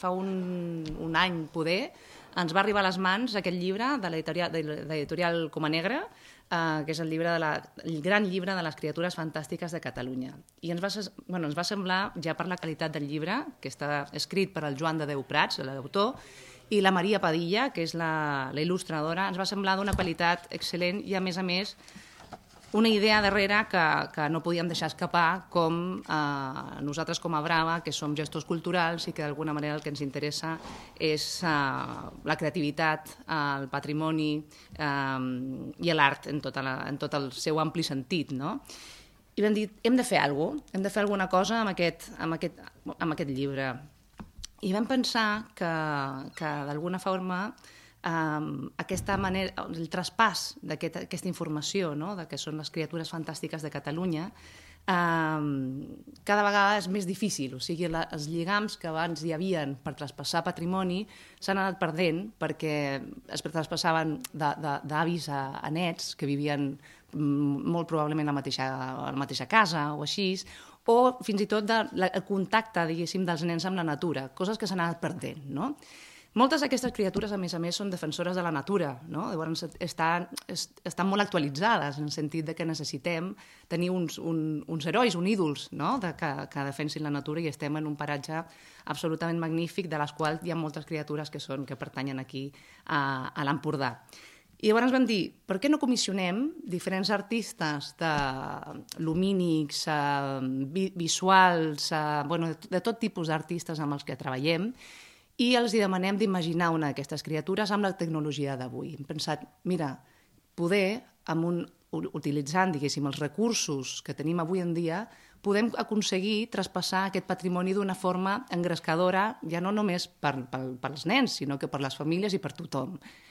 un any poder, ens va arribar a les mans aquest llibre de l'editorial Coma Negra, que és el gran llibre de les criatures fantàstiques de Catalunya. I ens va semblar, ja per la qualitat del llibre, que està escrit per el Joan de Déu Prats, l'autor, i la Maria Padilla, que és la il·lustradora, ens va semblar d'una qualitat excel·lent i, a més, una idea darrere que no podíem deixar escapar, com nosaltres com a Brava, que som gestors culturals i que d'alguna manera el que ens interessa és la creativitat, el patrimoni i l'art en tot el seu ampli sentit, no? I vam dir, hem de fer alguna cosa, hem de fer alguna cosa amb aquest llibre. I vam pensar que d'alguna forma aquesta manera, el traspàs d'aquesta informació, no? De que són les criatures fantàstiques de Catalunya, cada vegada és més difícil. O sigui, els lligams que abans hi havien per traspassar patrimoni s'han anat perdent perquè es traspassaven d'avis a nets que vivien molt probablement a la mateixa casa o així, o fins i tot el contacte, diguéssim, dels nens amb la natura, coses que s'han anat perdent, no? Moltes d'aquestes criatures, a més, són defensores de la natura, no? Llavors estan molt actualitzades en el sentit que necessitem tenir uns herois, uns ídols, no? Que defensin la natura, i estem en un paratge absolutament magnífic, de les quals hi ha moltes criatures que pertanyen aquí a l'Empordà. I llavors vam dir, per què no comissionem diferents artistes lumínics, visuals, de tot tipus d'artistes amb els que treballem, i els demanem d'imaginar una d'aquestes criatures amb la tecnologia d'avui. Hem pensat, mira, poder, utilitzant, diguéssim, els recursos que tenim avui en dia, podem aconseguir traspassar aquest patrimoni d'una forma engrescadora, ja no només pels nens, sinó que per les famílies i per tothom.